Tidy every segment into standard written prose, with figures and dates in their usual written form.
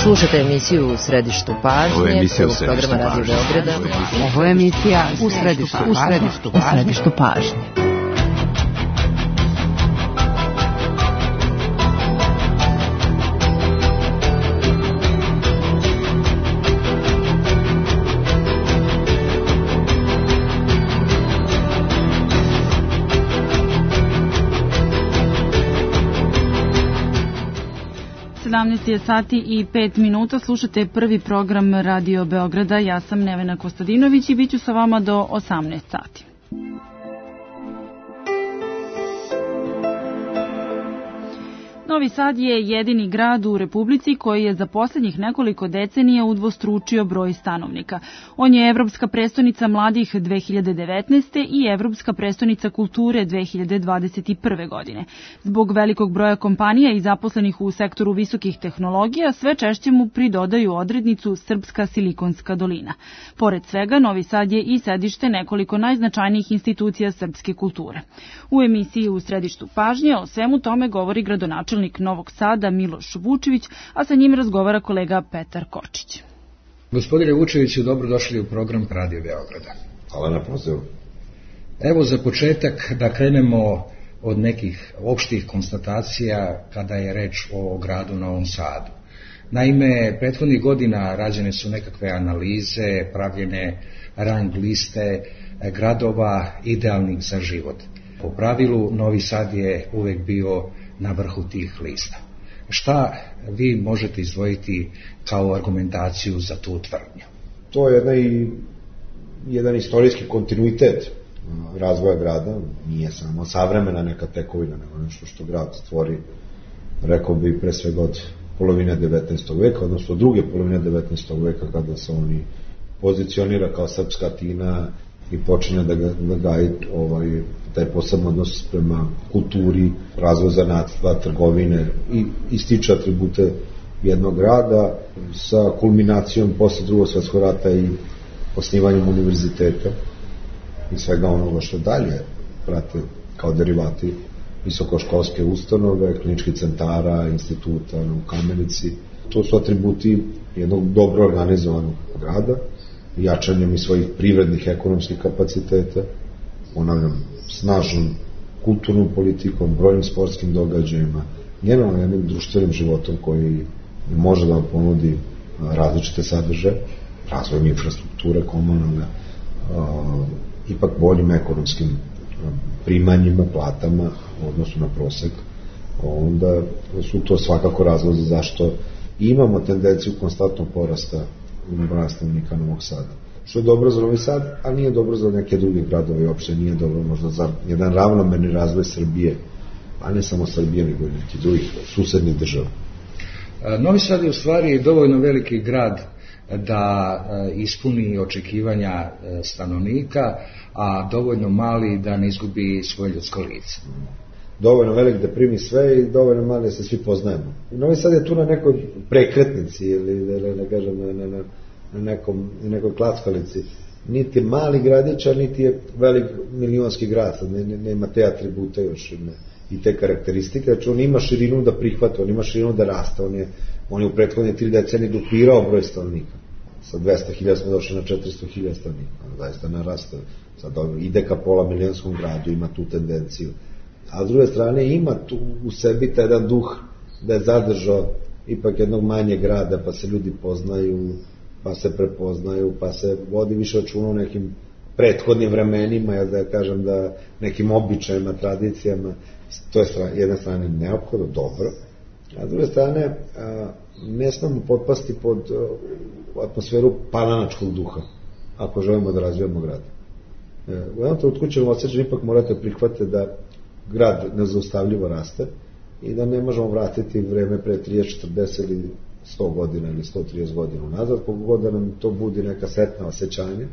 Slušate emisiju U središtu pažnje, prvog programa Radio Beograda. Ovo je emisija U središtu pažnje. Je sati i 5 minuta, slušate prvi program Radio Beograda, ja sam Nevena Kostadinović i bit ću sa vama do 18 sati. Novi Sad je jedini grad u Republici koji je za posljednjih nekoliko decenija udvostručio broj stanovnika. On je Evropska prestonica mladih 2019. i Evropska prestonica kulture 2021. godine. Zbog velikog broja kompanija i zaposlenih u sektoru visokih tehnologija, sve češće mu pridodaju odrednicu Srpska Silikonska dolina. Pored svega, Novi Sad je i sedište nekoliko najznačajnijih institucija srpske kulture. U emisiji U središtu pažnje o svemu tome govori gradonačelnik Novog Sada Miloš Vučević, a sa njim razgovara kolega Petar Kočić. Gospodine Vučeviću, dobrodošli u program Radio Beograda. Hvala na pozivu. Evo za početak da krenemo od nekih opštih konstatacija kada je reč o gradu Novom Sadu. Naime, prethodnih godina rađene su nekakve analize, pravljene rang liste gradova idealnih za život. Po pravilu, Novi Sad je uvek bio na vrhu tih lista. Šta vi možete izdvojiti kao argumentaciju za tu tvrdnju? To je jedan istorijski kontinuitet razvoja grada, nije samo savremena neka tekovina, nego nešto što grad stvori, rekao bi pre svega od polovine 19. veka, odnosno druge polovine 19. veka kada se oni pozicionira kao srpska Atina i počinje da gaji taj posebno odnos prema kulturi, razvoj zanatstva, trgovine i ističe atribute jednog grada sa kulminacijom posle Drugog svjetskog rata i osnivanjem univerziteta i svega onoga što dalje prate kao derivati visokoškolske ustanove, kliničkih centara, instituta u Kamenici. To su atributi jednog dobro organizovanog grada, jačanjem i svojih privrednih ekonomskih kapaciteta, ponavljam, snažnom kulturnom politikom, brojnim sportskim događajima, generalno jednim društvenim životom koji može da vam ponudi različite sadržaje, razvojem infrastrukture komunalne, ipak boljim ekonomskim primanjima, platama u odnosu na prosek, onda su to svakako razlozi zašto imamo tendenciju konstantnog porasta broja stanovnika Novog Sada. Što je dobro za Novi Sad, a nije dobro za neke druge gradove i uopšte nije dobro možda za jedan ravnomerni razvoj Srbije, a ne samo Srbije, nego i nekih drugih susednih država. Novi Sad je u stvari dovoljno veliki grad da ispuni očekivanja stanovnika, a dovoljno mali da ne izgubi svoje ljudsko lice. Dovoljno velik da primi sve i dovoljno mali da se svi poznajemo. Novi Sad je tu na nekoj prekretnici ili da kažem na nekoj klackalici. Niti je mali gradić, a niti je velik milionski grad. Nema te atribute još i te karakteristike. Znači on ima širinu da prihvata, on ima širinu da raste. On je u prethodne 3 decenije duplirao broj stanovnika. Sa 200.000 smo došli na 400.000 stanovnika. Zaista narasta. Sad ide ka pola milionskom gradu, ima tu tendenciju. A s druge strane ima tu u sebi taj jedan duh da je zadržao ipak jednog manjeg grada, pa se ljudi poznaju, pa se prepoznaju, pa se vodi više računa o nekim prethodnim vremenima, ja da kažem da nekim običajima, tradicijama. To je jedna strane neophodno, dobro, a s druge strane ne smemo potpasti pod atmosferu palanačkog duha ako želimo da razvijamo grad. U jednom trenutku ćemo osjećati, ipak morate prihvatiti da grad nezaustavljivo raste i da ne možemo vratiti vreme pre 30, 40 ili 100 godina ili 130 godina unazad, kogod da nam to budi neka sretna osjećanja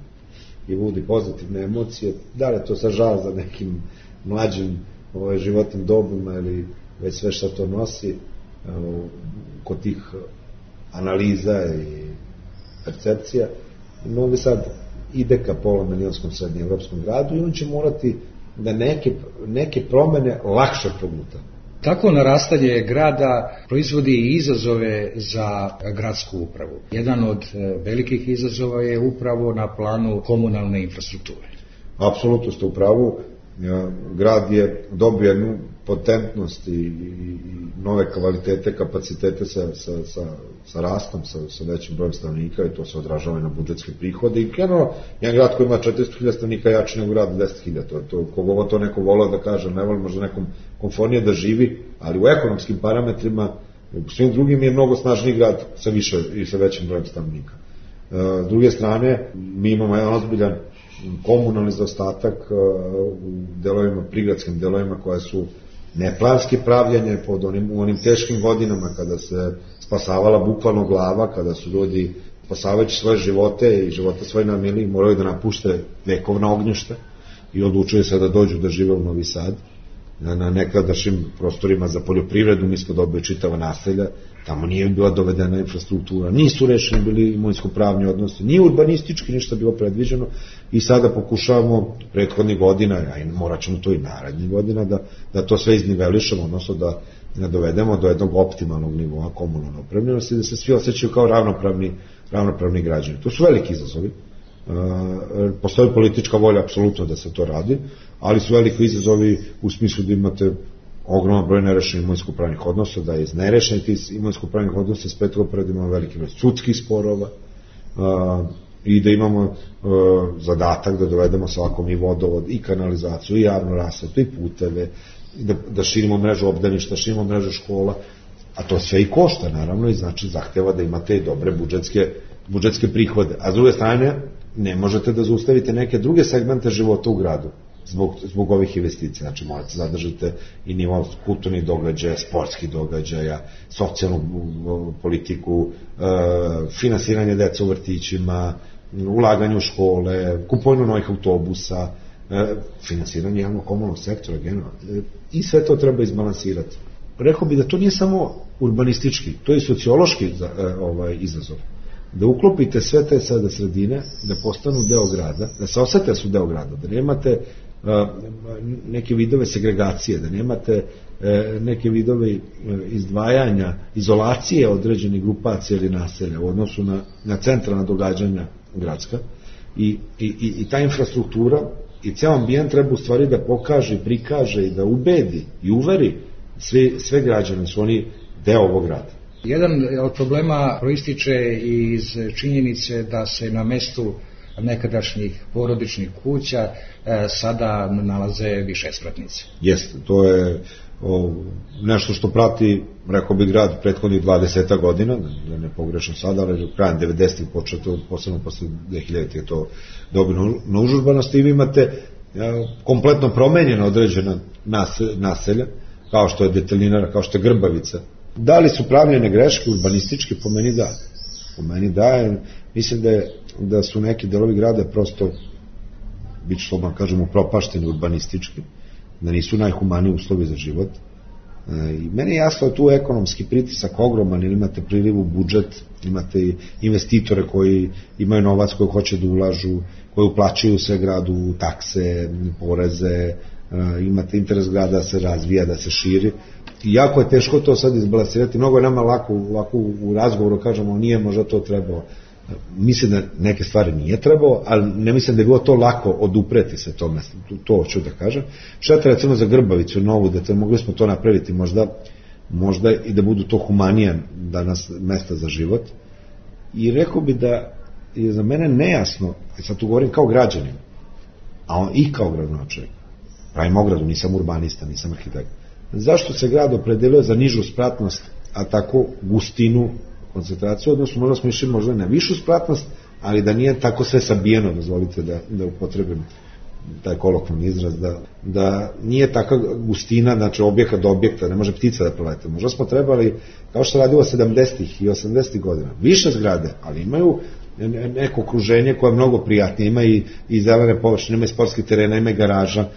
i budi pozitivne emocije, da li to sa žal za nekim mlađim životnim dobima ili već sve što to nosi kod tih analiza i percepcija. Novi Sad ide ka pola milionskom srednjeevropskom gradu i on će morati da neke promene lakše proguta. Tako narastanje grada proizvodi i izazove za gradsku upravu. Jedan od velikih izazova je upravo na planu komunalne infrastrukture. Apsolutno ste u pravu. Grad je dobio jednu potentnost i nove kvalitete, kapacitete sa rastom, sa većim brojem stanovnika, i to se odražava i na budžetske prihode. I generalno, jedan grad koji ima 400.000 stanovnika jači nego grad 10.000. Kogo to neko volao da kaže, ne voli možda nekom komfornije da živi, ali u ekonomskim parametrima, u svim drugim je mnogo snažniji grad sa više i sa većim brojem stanovnika. S druge strane, mi imamo jedan ozbiljan komunalni zaostatak u delovima, prigradskim delovima koja su neplanski pravljanje u onim teškim godinama kada se spasavala bukvalno glava, kada su ljudi spasavajući svoje živote i živote svoje na mili moraju da napušte vekovna ognjišta i odlučuju se da dođu da žive u Novi Sad na nekadašnjim prostorima za poljoprivredu. Mi smo dobili čitava naselja, tamo nije bila dovedena infrastruktura, nisu rešeni bili imovinsko-pravni odnosi, nije urbanistički ništa bilo predviđeno, i sada pokušavamo prethodnih godina, a i morat ćemo to i narednih godina, da to sve iznivelišemo, odnosno da dovedemo do jednog optimalnog nivoa komunalne opremljenosti, da se svi osjećaju kao ravnopravni građani. To su veliki izazovi. Postoji politička volja apsolutno da se to radi, ali su veliki izazovi u smislu da imate ogroman broj nerešenih imovinsko-pravnih odnosa, da je iz nerešenih imovinsko-pravnih odnosa spletilo pred imamo veliki broj sudskih sporova, i da imamo zadatak da dovedemo svakom i vodovod, i kanalizaciju, i javnu rasvetu, i puteve, da širimo mrežu obdaništa, širimo mrežu škola, a to sve i košta naravno, i znači zahteva da imate i dobre budžetske prihode. A s druge strane, ne možete da zaustavite neke druge segmente života u gradu zbog ovih investicija. Znači, morate zadržati i nivo kulturnih događaja, sportskih događaja, socijalnu politiku, finansiranje deca u vrtićima, ulaganje u škole, kupovinu novih autobusa, finansiranje javnog komunalnog sektora generalno. I sve to treba izbalansirati. Rekao bi da to nije samo urbanistički, to je i sociološki izazov. Da uklopite sve te sada sredine, da postanu deo grada, da se osete da su deo grada, da nemate neke vidove segregacije, da nemate neke vidove izdvajanja, izolacije određenih grupacija ili naselja u odnosu na centralna događanja gradska, i ta infrastruktura i ceo ambijent treba u stvari da pokaže, prikaže i da ubedi i uveri sve građane su oni deo ovog grada. Jedan od problema proističe iz činjenice da se na mestu nekadašnjih porodičnih kuća sada nalaze višespratnice. Jeste, to je nešto što prati, rekao bi, grad prethodnih 20 godina, da ne pogrešam sada, ali krajem 90-ih početo, posebno posle 2000 je to dobilo na užurbanosti, i vi imate kompletno promenjena određena naselja, kao što je Detelinara, kao što je Grbavica. Da li su pravljene greške urbanističke? Po meni da. Po meni da, mislim da su neki delovi grada prosto, bit ću slobodno kažem, upropašteni urbanistički, da nisu najhumaniji uslovi za život. I meni je jasno da tu ekonomski pritisak ogroman, ili imate priliv u budžet, imate investitore koji imaju novac koji hoće da ulažu, koji uplaćuju sve gradu takse, poreze, imate interes grada da se razvija, da se širi. I jako je teško to sad izbalansirati. Mnogo je nama lako u razgovoru kažemo nije možda to trebalo. Mislim da neke stvari nije trebalo, ali ne mislim da je bilo to lako odupreti se tome. To hoću da kažem. Šta te recimo za Grbavicu novu, da mogli smo to napraviti možda i da budu to humanija danas mesta za život. I rekao bi da je za mene nejasno, sad tu govorim kao građanin, a on i kao gradonačelnik, pravim ogradu, nisam urbanista, nisam arhitekt. Zašto se grad opredelio za nižu spratnost, a tako gustinu, koncentraciju, odnosno možda smo išli možda na višu spratnost, ali da nije tako sve sabijeno, dozvolite da upotrebim taj kolokvijalni izraz, da nije taka gustina, znači objekta do objekta, ne može ptica da prolete. Možda smo trebali, kao što radilo 70. i 80. godina, više zgrade, ali imaju neko okruženje koje je mnogo prijatnije, ima i zelene površine, ima i sportski terena, ima i garaža,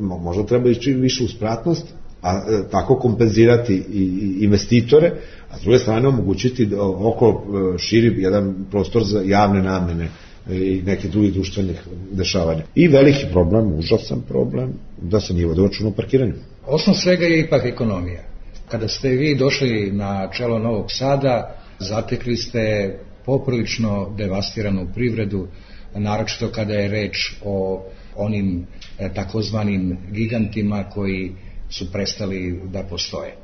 možda treba ići više u spratnost, a tako kompenzirati i investitore, a s druge strane omogućiti okolo širi jedan prostor za javne namene, i nekih drugih društvenih dešavanja. I veliki problem, užasan problem, da se nije vodio računa o parkiranju. Osnov svega je ipak ekonomija. Kada ste vi došli na čelo Novog Sada, zatekli ste poprilično devastiranu privredu, naročito kada je reč o onim takozvanim gigantima koji su prestali da postoje.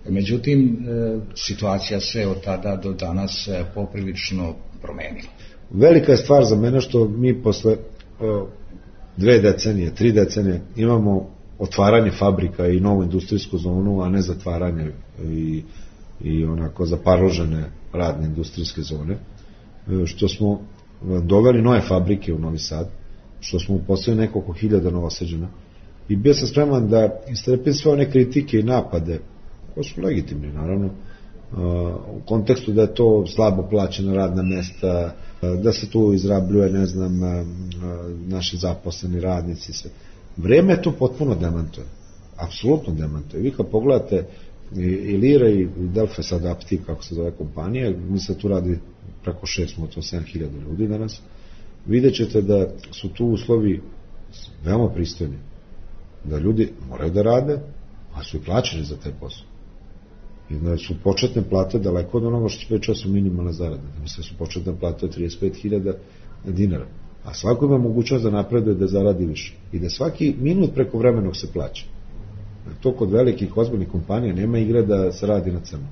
Međutim, situacija se od tada do danas poprilično promenila. Velika je stvar za mene što mi posle 2 decenije, 3 decenije imamo otvaranje fabrika i novu industrijsku zonu, a ne zatvaranje i onako zaparložene radne industrijske zone, što smo doveli nove fabrike u Novi Sad, što smo uposlili nekoliko hiljada Novosađana i bio sam spreman da istrpim sve one kritike i napade, koji su legitimni naravno, u kontekstu da je to slabo plaćena radna mesta, da se tu izrabljuje, ne znam, naši zaposleni radnici, sve. Vreme to potpuno demantuje, apsolutno demantuje. Vi kad pogledate i Lira i Delfes Adaptiv, kako se zove kompanija, mi se tu radi preko 7.000 ljudi danas, vidjet ćete da su tu uslovi veoma pristojni, da ljudi moraju da rade, a su i plaćeni za taj posao. I da su početne plate daleko od onoga što se priča su minimalne zarade. Mislim su početne plate 35.000 dinara. A svako ima mogućnost da napreduje, da zaradi više. I da svaki minut preko vremenog se plaća. To kod velikih ozbiljnih kompanija nema igre da se radi na crno.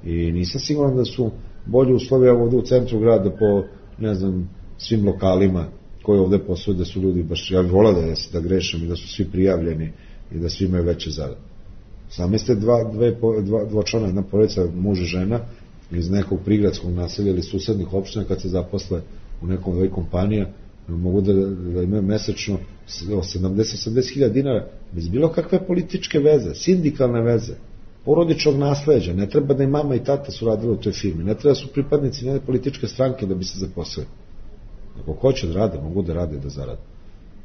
I nisam siguran da su bolje uslovi ovde u centru grada po, ne znam, svim lokalima koji ovde posluju, da su ljudi baš, ja bih volao da grešim i da su svi prijavljeni i da svi imaju veće zarade. Sami ste dvočlana, jedna porodica, muž i žena iz nekog prigradskog naselja ili susednih opština, kad se zaposle u nekom ovoj kompanija, mogu da imaju mesečno 70.000 dinara bez bilo kakve političke veze, sindikalne veze, porodičnog nasleđa. Ne treba da i mama i tata su radili u toj firmi, ne treba da su pripadnici jedne političke stranke da bi se zaposlili. Ako hoće da rade, mogu da rade i da zarade.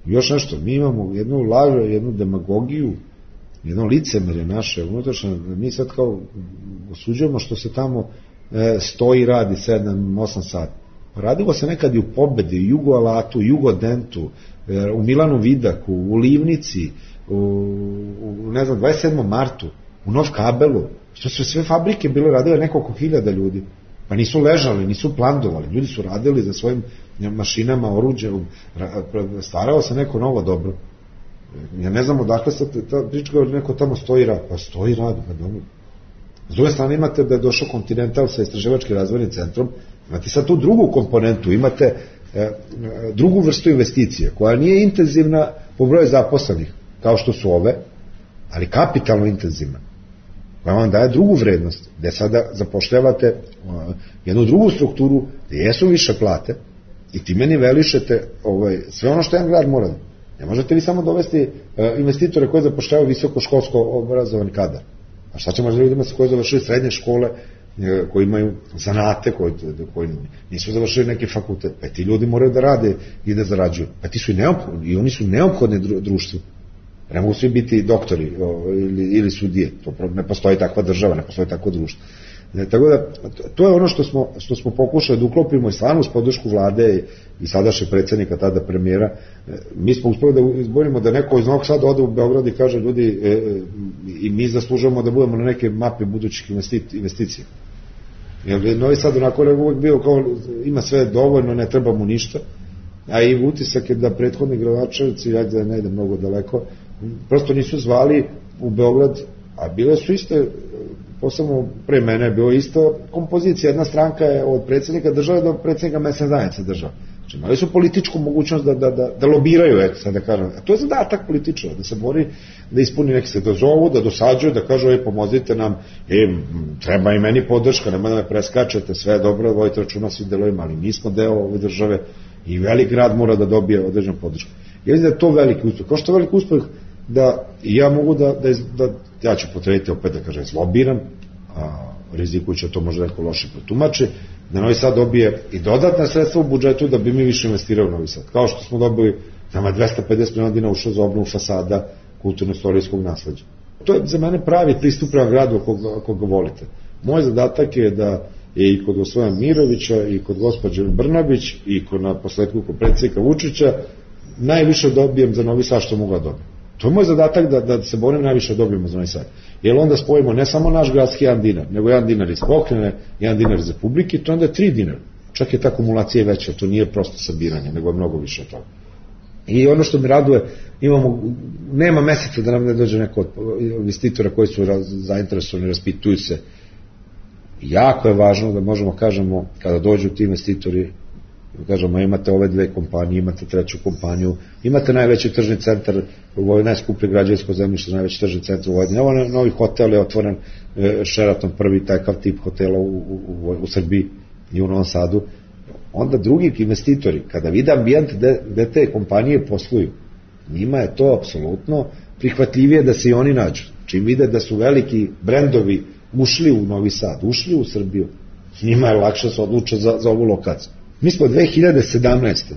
I još nešto, mi imamo jednu lažu, jednu demagogiju, jedno licemerje naše unutrašnje, mi sad kao osuđujemo što se tamo stoji i radi 7-8 sati. Radilo se nekad i u Pobedi, u Jugoalatu, u Jugodentu, u Milanu Vidaku, u Livnici, u ne znam, 27. martu, u Nov Kabelu, što su sve fabrike bile radile nekoliko hiljada ljudi. Pa nisu ležali, nisu plandovali, ljudi su radili za svojim mašinama, oruđem, starao se neko novo dobro. Ja ne znam odakle se ta priča neko tamo stoji rad, pa stoji rad, pa dobro. S druge strane imate da je došao Continental sa istraživačkim razvojnim centrom, imate sad tu drugu komponentu, imate drugu vrstu investicije, koja nije intenzivna po broju zaposlenih, kao što su ove, ali kapitalno intenzivna, koja vam daje drugu vrednost, gde sada zapošljavate jednu drugu strukturu, gde jesu više plate i time nivelišete sve ono što jedan grad mora. Ne možete vi samo dovesti investitore koji zapošljavaju visokoškolsko obrazovan kadar. A šta ćemo ljudima koji završili srednje škole, koji imaju zanate, koji nisu završili neki fakultet? Pa ti ljudi moraju da rade i da zarađuju. Pa ti su i neophodni, i oni su neophodni društvu. Ne mogu svi biti doktori ili sudije. Ne postoji takva država, ne postoji takvo društvo. Tako da, to je ono što smo pokušali da uklopimo i stvarno uz podršku vlade i sadašnje predsjednika, tada premijera. Mi smo uspeli da izborimo da neko iz Novog Sada ode u Beograd i kaže ljudi i mi zaslužujemo da budemo na neke mape budućih investicija. Jer Novi Sad onako je uvek bio kao ima sve dovoljno, ne treba mu ništa, a i utisak je da prethodni gradonačelnici, ja da ne idem mnogo daleko, prosto nisu zvali u Beograd, a bile su iste, posebno pre mene je bilo isto kompozicija, jedna stranka je od predsjednika države do predsjednika mesne zajednice države. Znači, imali su političku mogućnost da lobiraju, eto sad da kažem. A to je zadatak političara, da se bori, da ispuni neki se dozovu, da dosađuju, da kažu, pomozite nam, treba i meni podrška, nema da me preskačete, sve je dobro, vojite računa svi delovima, ali mi smo deo ove države i velik grad mora da dobije određenu podršku. Ja mislim da je to veliki uspeh. Kao što je veliki uspeh da ja mogu da ja ću potrebiti opet da kažem zlobiram, rizikujući to možda neko loše protumači, da Novi Sad dobije i dodatna sredstva u budžetu da bi mi više investirali u Novi Sad. Kao što smo dobili, nama 250 miliona dinara ušlo za obnovu fasada kulturno-istorijskog nasleđa. To je za mene pravi pristup prema gradu ako ga volite. Moj zadatak je da je i kod gospodina Mirovića, i kod gospođe Brnabić, i kod na posledku kod predsjednika Vučića, najviše dobijem za Novi Sad što mogu da dobijem. To je moj zadatak da se borim najviše dobijemo za Novi Sad. Jer onda spojimo ne samo naš gradski 1 dinar, nego 1 dinar iz pokrajine, 1 dinar iz Republike, to onda je 3 dinara. Čak je ta akumulacija veća, to nije prosto sabiranje, nego je mnogo više od toga. I ono što mi raduje, nema meseca da nam ne dođe neko od investitora koji su zainteresovani, raspituju se. Jako je važno da možemo kažemo, kada dođu ti investitori, kažemo imate ove 2 kompanije, imate 3. kompaniju, imate najveći tržni centar, ovo je najskuplje građevinsko zemljište, najveći tržni centar u Vojvodini. Ovo je novi hotel, je otvoren Sheraton, prvi takav tip hotela u Srbiji i u Novom Sadu. Onda drugi investitori, kada vide ambijent gde te kompanije posluju, njima je to apsolutno prihvatljivije da se i oni nađu. Čim vide da su veliki brendovi ušli u Novi Sad, ušli u Srbiju, njima je lakše se odluče za ovu lokaciju. Mi smo 2017.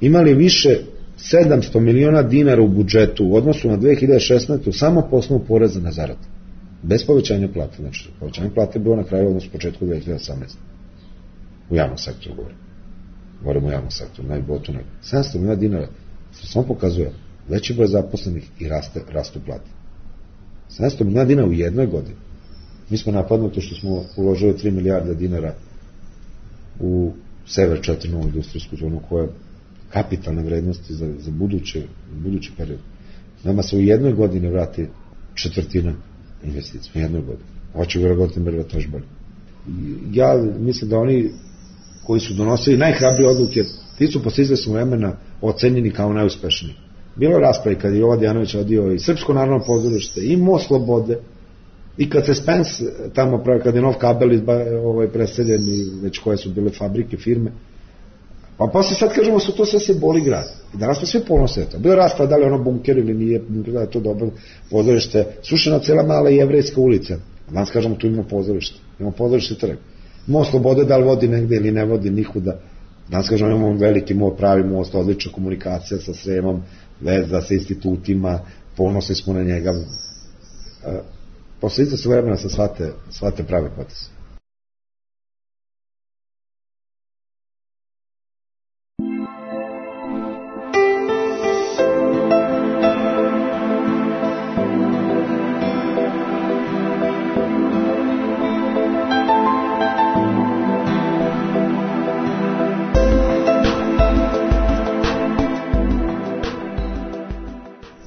imali više 700 miliona dinara u budžetu u odnosu na 2016. samo po osnovu poreza na zaradu. Bez povećanja plate. Znači, povećanje plate je bilo na kraju odnosu početku 2018. U javnom sektoru govorimo o javnom sektoru, najbotu nego. 700 miliona dinara, što samo pokazuje veći broj zaposlenih i rastu plate. 700 miliona dinara u jednoj godini. Mi smo napadnuti što smo uložili 3 milijarde dinara u Sever 4 novu industrijsku zonu koja je kapitalne vrednosti za budući period. Nama se u jednoj godini vrati 1/4 investicija, u jednoj godini. Hoće vjerovatno još bolje. Ja mislim da oni koji su donosili najhrabrije odluke, ti su posle izvesnog vremena ocenjeni kao najuspešniji. Bilo raspravi kad je Jovan Dejanović odio i Srpsko narodno pozorište, i Most Slobode, i kad se Spence tamo pravi, kad je nov kabel preseljen i već koje su bile fabrike, firme, pa posle sad kažemo su to sve se boli grad. I danas smo sve ponose to. Bilo rasprava da li ono bunker ili nije, da je to dobro pozorište, sušena cela mala jevrejska ulica. Danas kažemo tu imamo pozorište, imamo pozorište trg. Most Slobode da li vodi negde ili ne vodi nikuda. Danas kažemo imamo veliki pravi most, odlična komunikacija sa Sremom, veza sa institutima, ponosni smo na njega. Posle izda su vremena sa shvate prave poteze.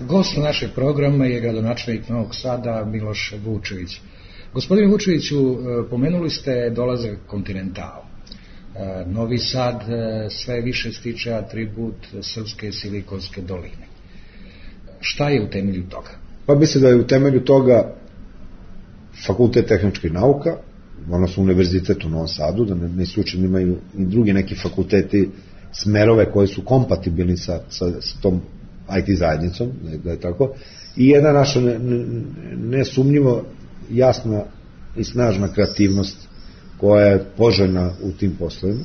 Gost našeg programa je gradonačelnik Novog Sada Miloš Vučević. Gospodine Vučeviću, pomenuli ste dolazak Kontinentala. Novi Sad sve više stiče atribut srpske Silikonske doline. Šta je u temelju toga? Pa mislim da je u temelju toga Fakultet tehničkih nauka, odnosno Univerzitet u Novom Sadu, da ne slučajno imaju i drugi neki fakulteti smerove koji su kompatibilni sa tom IT zajednicom, da je tako, i jedna naša nesumnjivo jasna i snažna kreativnost koja je poželjna u tim poslovima,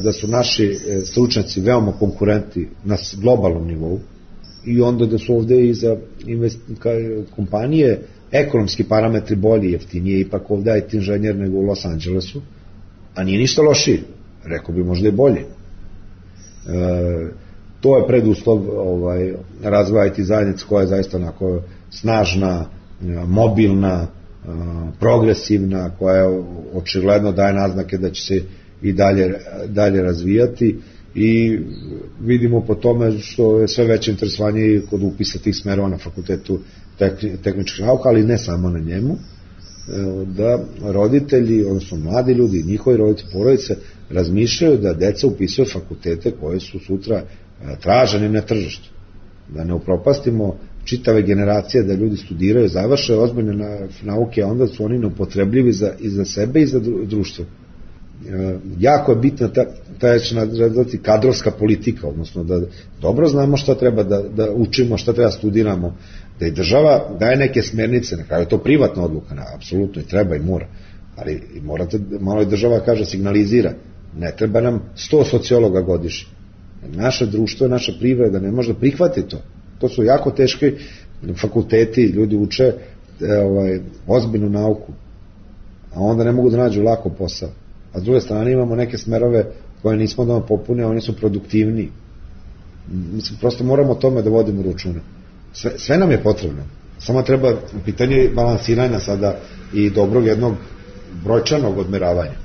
da su naši stručnjaci veoma konkurenti na globalnom nivou i onda da su ovde i za kompanije ekonomski parametri bolji, jeftinije, ipak ovde IT inženjer nego u Los Angelesu, a nije ništa lošije, rekao bi možda i bolje. To je preduslov razvoja IT zajednice koja je zaista onako snažna, mobilna, progresivna, koja očigledno daje naznake da će se i dalje razvijati i vidimo po tome što je sve veće interesovanje kod upisa tih smerova na Fakultetu tehničkih nauka, ali ne samo na njemu, da roditelji, odnosno mladi ljudi, njihovi roditelji, porodice, razmišljaju da deca upisuju fakultete koje su sutra traženi na tržištu. Da ne upropastimo čitave generacije, da ljudi studiraju, završe ozbiljne nauke, a onda su oni neupotrebljivi i za sebe i za društvo. Jako je bitna ta kadrovska politika, odnosno da dobro znamo šta treba da učimo, šta treba studiramo, da i država daje neke smernice, na kraju je to privatna odluka, apsolutno i treba i mora, ali morate, malo i država kaže, signalizira, ne treba nam 100 sociologa godišnje. Naše društvo, naša privreda ne može da prihvati to. To su jako teški fakulteti, ljudi uče ozbiljnu nauku, a onda ne mogu da nađu lako posao. A s druge strane imamo neke smerove koje nismo da popune, oni su produktivniji. Mislim, prosto moramo o tome da vodimo računa. Sve nam je potrebno. Samo treba pitanje balansiranja sada i dobrog jednog brojčanog odmeravanja.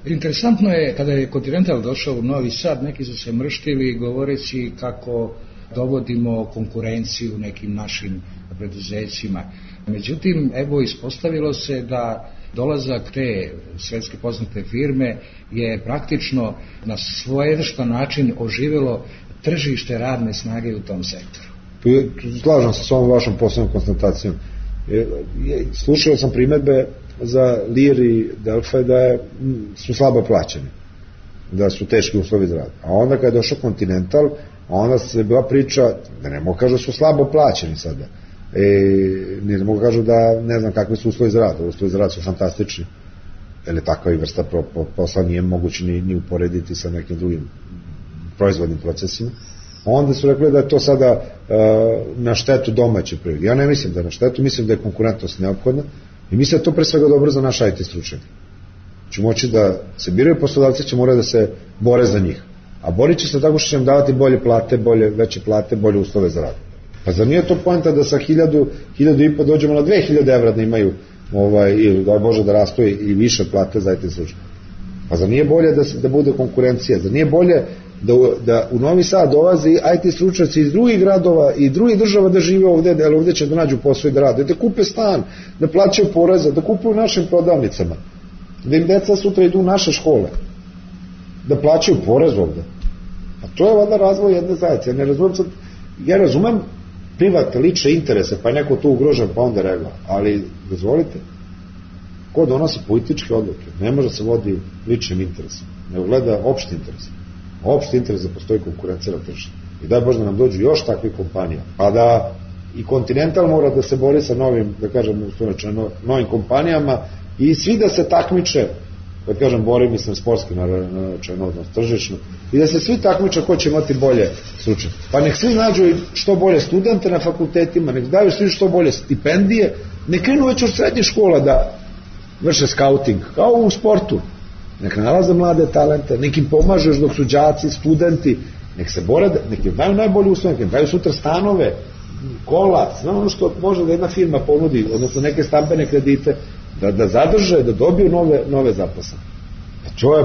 Interesantno je, kada je Continental došao u Novi Sad, neki su se mrštili govoreći kako dovodimo konkurenciju nekim našim preduzećima. Međutim, evo, ispostavilo se da dolazak te svetske poznate firme je praktično na svojevrstan način oživelo tržište radne snage u tom sektoru. Slažem se s ovom vašom posebnom konstatacijom. Slušao sam primedbe za Lear i Delphi da su slabo plaćeni, da su teški uslovi za rad. A onda kada je došao Continental, onda se bila priča da ne mogu kažu da su slabo plaćeni sada. Ne mogu kažu da ne znam kakvi su uslovi za rad. Uslovi za rad su fantastični. Jer takva i vrsta posla nije moguće ni uporediti sa nekim drugim proizvodnim procesima. Onda su rekli da je to sada na štetu domaće privrede. Ja ne mislim da je na štetu, mislim da je konkurentnost neophodna i mislim da je to pre svega dobro za naš IT stručnjake. Će moći da se biraju poslodavci, će morati da se bore za njih. A borit će se tako što će im davati bolje plate, veće plate, bolje uslove za rad. Pa zar nije to poenta da sa 1.500 dođemo na 2.000 evra da imaju, ili da može da rastu i više plate za IT stručnjake? Pa zar nije bolje da bude konkurencija? Zar nije bolje da u Novi Sad dolaze IT stručnjaci iz drugih gradova i drugih država da žive ovde, jer ovde će da nađu posao i da rade, da kupe stan, da plaćaju poreze, da kupuju u našim prodavnicama, da im deca sutra idu u naše škole, da plaćaju porez ovde. A to je valjda razvoj jedne zajednice. Ja razumem privatne lične interese, pa je neko tu ugrožen, pa onda regla, ali dozvolite, ko donosi političke odluke ne može se vodi ličnim interesom, nego gleda opšti interes. Opšti interes da postoji konkurencija na tržištu. I daj Bože da nam dođu još takvih kompanija. Pa da i Continental mora da se bori sa novim, da kažem, novim kompanijama i svi da se takmiče, da kažem, bori, mislim, sportski, naravno, tržišno, i da se svi takmiče ko će imati bolje stručnjake. Pa nek svi nađu što bolje studente na fakultetima, nek daju svi što bolje stipendije, nek krenu već od srednjih škola da vrše skauting, kao u sportu. Nek nalaze mlade talente, nek im pomažeš dok su đaci, studenti, nek se bore, nek im daju najbolje uslove, nek im daju sutra stanove, kola, sve ono što može da jedna firma ponudi, odnosno neke stambene kredite, da zadrže, da dobiju nove zaposlene.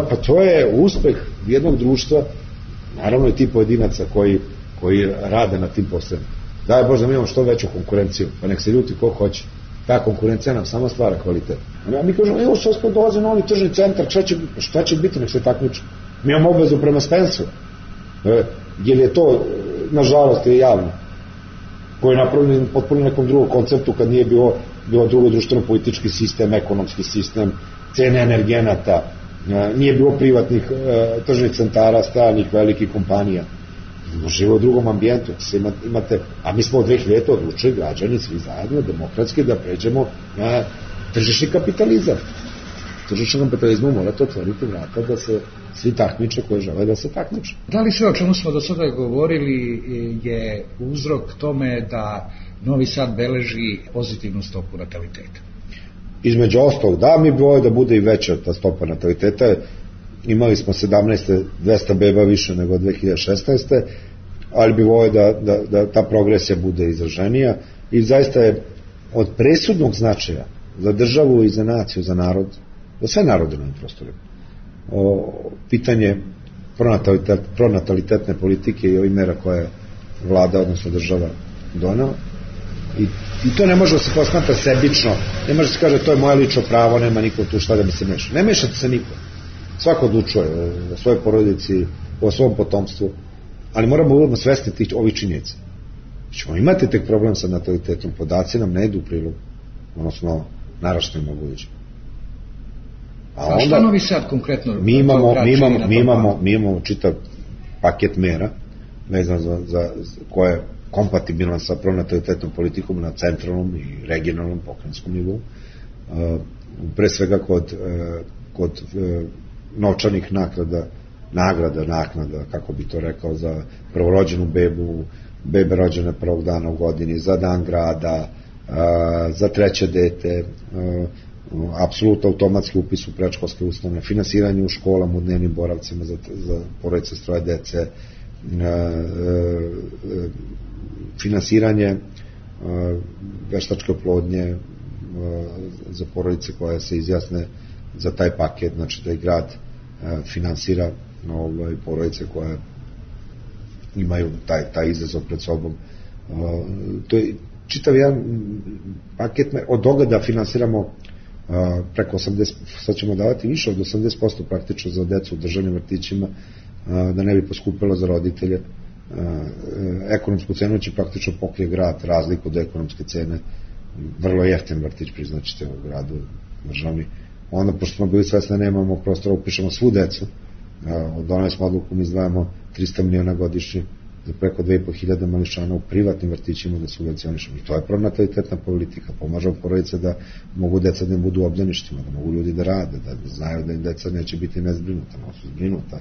Pa to je uspeh jednog društva, naravno i ti pojedinaca koji rade na tim poslovima. Daj Bože da mi imamo što veću konkurenciju, pa nek se ljuti ko hoće. Ta konkurencija nam samo stvara kvalitet. A mi kažemo, evo što smo dolazi novi tržni centar, šta će biti, nek se takmiče. Mi imamo obavezu prema Spensu, jer je to, nažalost, je javno, koji je napravljen potpuno nekom drugom konceptu kad nije bilo drugo društveno-politički sistem, ekonomski sistem, cene energenata, nije bilo privatnih tržnih centara, stranih velikih kompanija. Žive u drugom ambijentu, imate, a mi smo od 2000 odlučili građani svi zajedno demokratski da pređemo na tržišni kapitalizam. Tržišni kapitalizmu morate otvoriti vrata da se svi takmiče koji žele da se takmiče. Da li sve o čemu smo do sada govorili je uzrok tome da Novi Sad beleži pozitivnu stopu nataliteta? Između ostalog, da, mi bi volio da bude i veća ta stopa nataliteta. Imali smo 17. 200 beba više nego 2016. ali bi volio da ta progresija bude izraženija i zaista je od presudnog značaja za državu i za naciju, za narod, za sve narode na ovim prostorima. Pitanje pronatalitetne politike i ovih mera koje vlada, odnosno država donela. I to ne može da se posmatra sebično, ne može da se kaže to je moje lično pravo, nema niko tu šta da mi se meša. Ne mešate se niko. Svako odlučuje o svojoj porodici, o svom potomstvu, ali moramo uvodno svesti ovih činjenica. Ćemo imati tek problem sa natalitetom, podaci nam ne idu u prilog, odnosno naraštajima budućim. A šta Novi Sad konkretno? Mi imamo čitav paket mera vezan za koje je kompatibilan sa pronatalitetnom politikom na centralnom i regionalnom pokrajinskom nivou. Pre svega kod novčanih naknada, kako bi to rekao, za prvorođenu bebu, bebe rođene prvog dana u godini, za dan grada, za treće dete, apsolutno automatski upis u predškolske ustanove, finansiranje u školama, u dnevnim boravcima za porodice s 3 dece, finansiranje veštačke oplodnje za porodice koje se izjasne za taj paket, znači da i grad finansira porodice koje imaju taj izazov pred sobom. To je čitav jedan paket od toga da finansiramo preko 80, sad ćemo davati više od 80% praktično za decu u državnim vrtićima, da ne bi poskupilo za roditelje. Ekonomsku cenu će praktično pokrije grad, razliku od ekonomske cene, vrlo jeftin vrtić, priznaćete, u gradu državni. Onda, pošto smo bili svesni da nemamo prostora, upišemo svu decu, doneli smo odluku, mi izdvajamo 300 miliona godišnje za preko 2.500 mališana u privatnim vrtićima da subvencionišemo. I to je pronatalitetna politika, pomažemo porodice da mogu deca da ne budu u obdaništima, da mogu ljudi da rade, da znaju da im deca neće biti nezbrinuta, no su zbrinuta,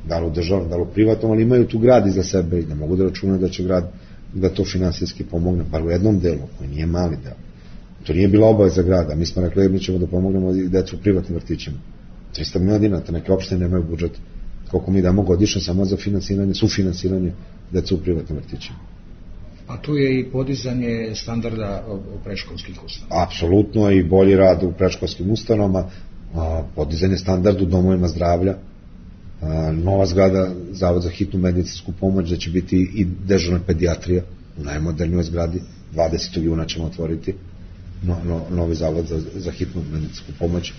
da li u državnom, da li u privatnom, ali imaju tu grad iza sebe i da mogu da računaju da će grad da to finansijski pomogne, bar u jednom delu, koji nije mali deo. To nije bila obaveza grada, mi smo rekli mi ćemo da pomognemo i decu u privatnim vrtićima. 300 miliona dinara, neke opštine nemaju budžet, koliko mi damo godišnje samo za finansiranje, sufinansiranje deca u privatnim vrtićima. A tu je i podizanje standarda u predškolskih ustanova. Apsolutno, i bolji rad u predškolskim ustanovama, podizanje standarda u domovima zdravlja, nova zgrada, Zavod za hitnu medicinsku pomoć, da će biti i dežurna pedijatrija u najmodernijoj zgradi, 20. juna ćemo otvoriti novi Zavod za hitnu medicinsku pomoć,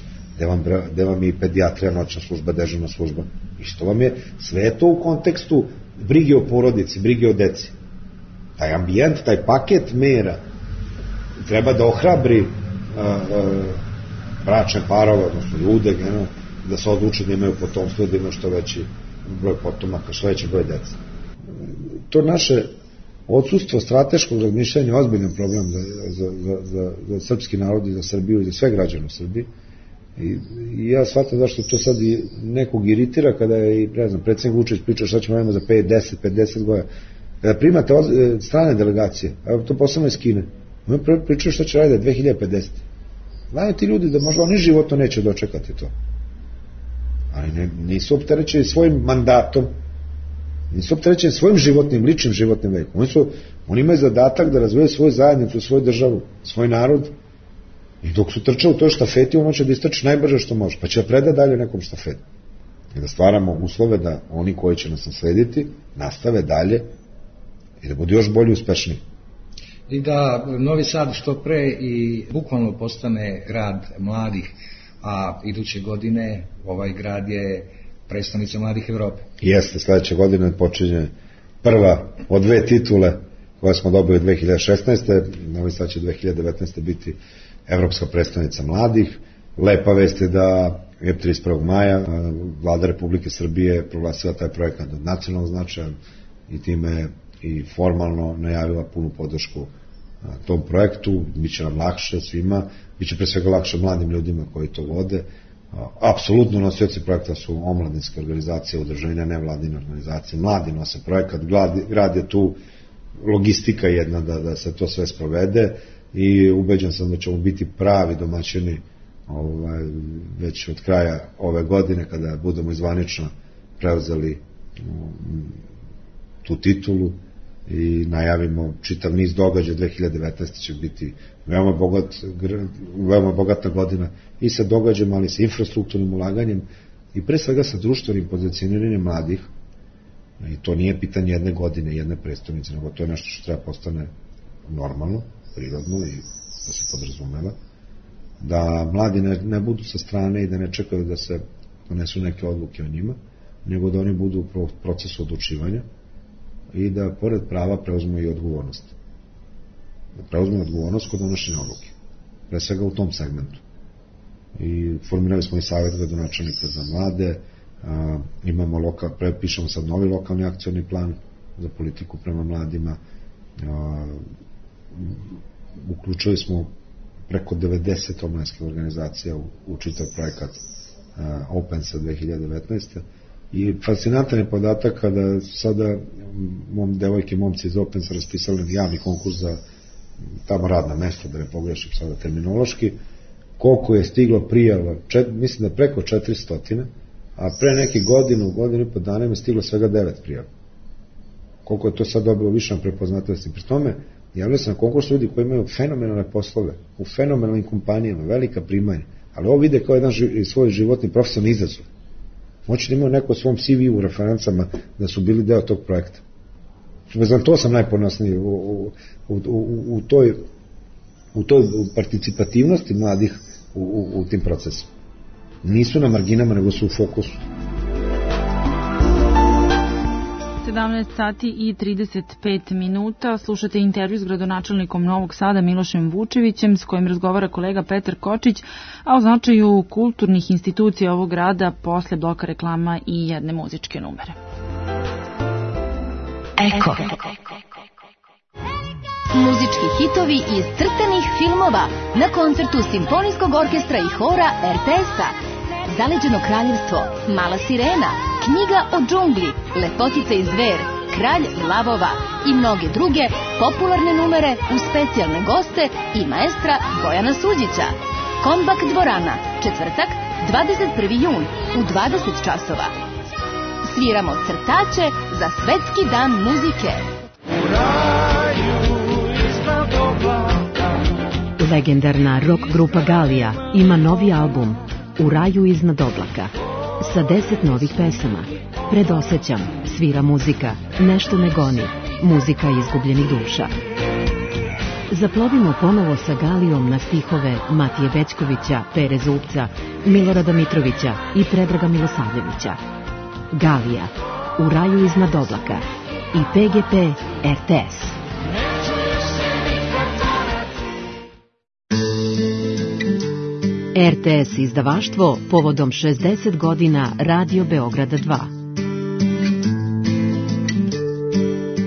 gde vam je i pedijatrija, noćna služba, dežurna služba. I što vam je, sve je to u kontekstu brige o porodici, brige o deci. Taj ambijent, taj paket mera treba da ohrabri bračne parove, odnosno ljude, da se odluče da imaju potomstvo, da imaju što veći broj potomaka, što veći broj deca. To naše odsustvo strateškog razmišljanja je ozbiljan problem za srpski narod i za Srbiju i za sve građane u Srbiji. I ja shvatam zašto to sad nekog iritira kada je, ne znam, predsjednik Vučić pričao šta ćemo raditi za 5, 10, 50 godina. Kada primate strane delegacije, evo to posebno iz Kine, oni pričaju šta će raditi 2050. Znaju ti ljudi da možda oni životno neće dočekati to. Ali nisu opterećeni svojim mandatom, nisu opterećeni svojim životnim, ličnim životnim vekom. Oni imaju zadatak da razvijaju svoju zajednicu, svoju državu, svoj narod. I dok su trčali u toj štafeti, ono će da istrči najbrže što može, pa će da preda dalje nekom štafetu. I da stvaramo uslove da oni koji će nas naslediti nastave dalje i da budu još bolji, uspešniji. I da Novi Sad što pre i bukvalno postane grad mladih, a iduće godine ovaj grad je prestonica mladih Evrope. Jeste, sledeće godine počinje prva od 2 titule koje smo dobili 2016. Novi Sad će 2019. biti Evropska prestonica mladih. Lepa vest je da je 31. maja Vlada Republike Srbije proglasila taj projekat od nacionalnog značaja i time i formalno najavila punu podršku tom projektu. Biće nam lakše svima, biće pre svega lakše mladim ljudima koji to vode. Apsolutno nosioci projekta su omladinske organizacije, udruženja, nevladine organizacije, mladi nose projekat, grad je tu logistika jedna da se to sve sprovede i ubeđen sam da ćemo biti pravi domaćini već od kraja ove godine kada budemo izvanično preuzeli tu titulu i najavimo čitav niz događaja. 2019. će biti veoma bogata godina i sa događajima, ali sa infrastrukturnim ulaganjem i pre svega sa društvenim pozicioniranjem mladih. I to nije pitanje jedne godine, jedne prestonice, nego to je nešto što treba postane normalno, prirodno i da se podrazumeva, da mladi ne budu sa strane i da ne čekaju da se donesu neke odluke o njima, nego da oni budu u procesu odlučivanja i da pored prava preuzmu i odgovornost. Da preuzmu odgovornost kod donošenja odluke. Pre svega u tom segmentu. I formirali smo i savjet gradonačelnika za mlade, pišemo sad novi lokalni akcioni plan za politiku prema mladima, uključili smo preko 90 omladinskih organizacija u čitav projekat Opensa 2019. I fascinantan je podatak kada sada devojke i momci iz Opensa raspisali javni konkurs za tamo radna mesta, da ne pogrešim sada terminološki, koliko je stiglo prijava, mislim da preko 400, a pre neki godinu i po dana je stiglo svega 9 prijava. Koliko je to sad dobilo više na prepoznatljivosti. Pri tome, javljaju se na konkurs ljudi koji imaju fenomenalne poslove, u fenomenalnim kompanijama, velika primanja, ali ovo vide kao jedan svoj životni profesionalni izazov. Moći da imaju neko u svom CV u referencama da su bili deo tog projekta. Znam, to sam najponosniji u toj participativnosti mladih u tim procesima. Nisu na marginama, nego su u fokusu. 17 sati i 35 minuta. Slušate intervju s gradonačelnikom Novog Sada Milošem Vučevićem, s kojim razgovara kolega Petar Kočić, a o značaju kulturnih institucija ovog grada posle bloka reklama i jedne muzičke numere. Eko. Muzički hitovi iz crtanih filmova na koncertu Simfonijskog orkestra i hora RTS-a. Zaleđeno kraljevstvo, Mala sirena, Knjiga o džungli, Lepotica i zver, Kralj lavova i mnoge druge popularne numere uz specijalne goste i maestra Bojana Suđića. Kombak dvorana, četvrtak, 21. jun u 20 časova. Sviramo crtače za Svetski dan muzike. Legendarna rock grupa Galija ima novi album U raju iznad oblaka sa 10 novih pesama. Predosećam, svira muzika, nešto me goni, muzika izgubljenih duša. Zaplovimo ponovo sa Galijom na stihove Matije Bećkovića, Pere Zupca, Milorada Mitrovića i Predraga Milosavljevića. Galija, U raju iznad oblaka i PGP RTS. RTS izdavaštvo povodom 60 godina Radio Beograda 2.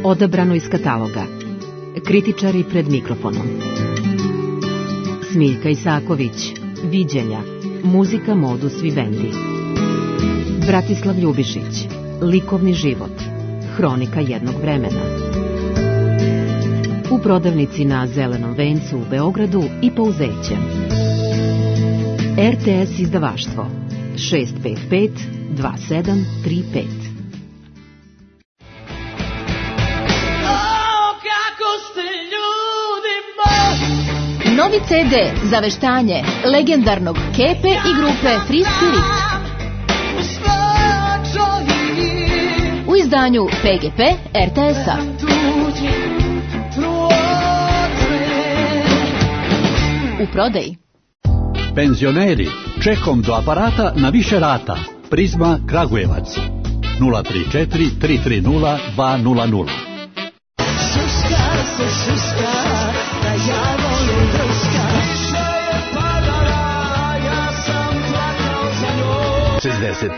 Odabrano iz kataloga. Kritičari pred mikrofonom. Smiljka Isaković, Viđenja, muzika Modus Vivendi. Bratislav Ljubišić, Likovni život, hronika jednog vremena. U prodavnici na Zelenom vencu u Beogradu i Pouzeće. RTS izdavaštvo 655 2735. Novi CD za veštanje legendarnog Kepe i grupe Free Spirit. U izdanju PGP RTS-a. U prodaji. Penzioneri, čekom do aparata na više rata. Prizma Kragujevac 034 330 200.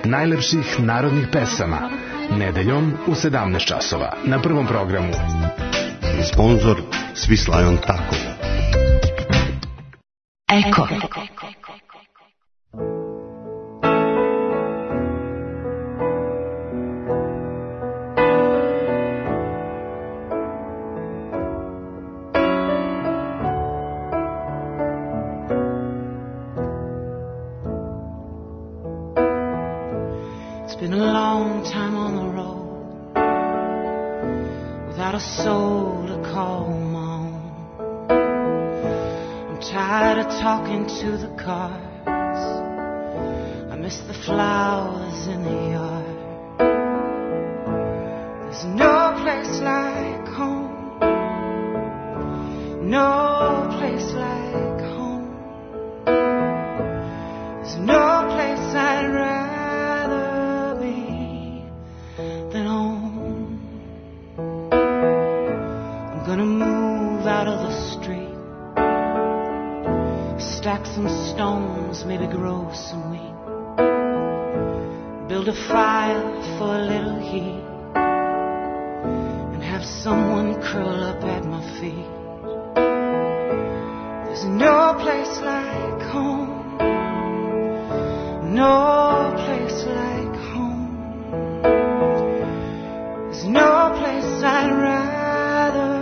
Najlepših narodnih pesama nedeljom u 17 časova na Prvom programu. Sponzor Svislajon Tako. Eko. It's been a long time on the road without a soul to call home. I'm tired of talking to the cars. I miss the flowers in the yard. There's no place like home. No place like home. There's no place I'd rather be than home. I'm gonna move out of the street, stack some stones, maybe grow some wheat, build a fire for a little heat, and have someone curl up at my feet. There's no place like home. No place like home. There's no place I'd rather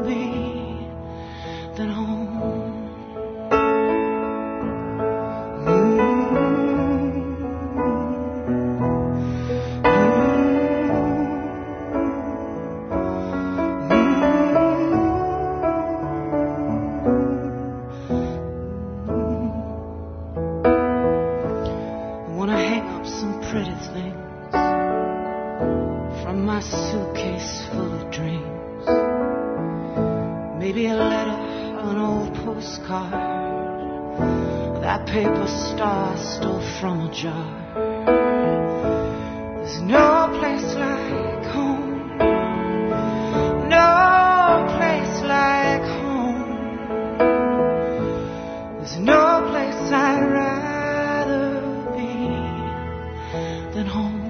be than home. that paper star stole from a jar. There's no place like home, no place like home. There's no place I'd rather be than home.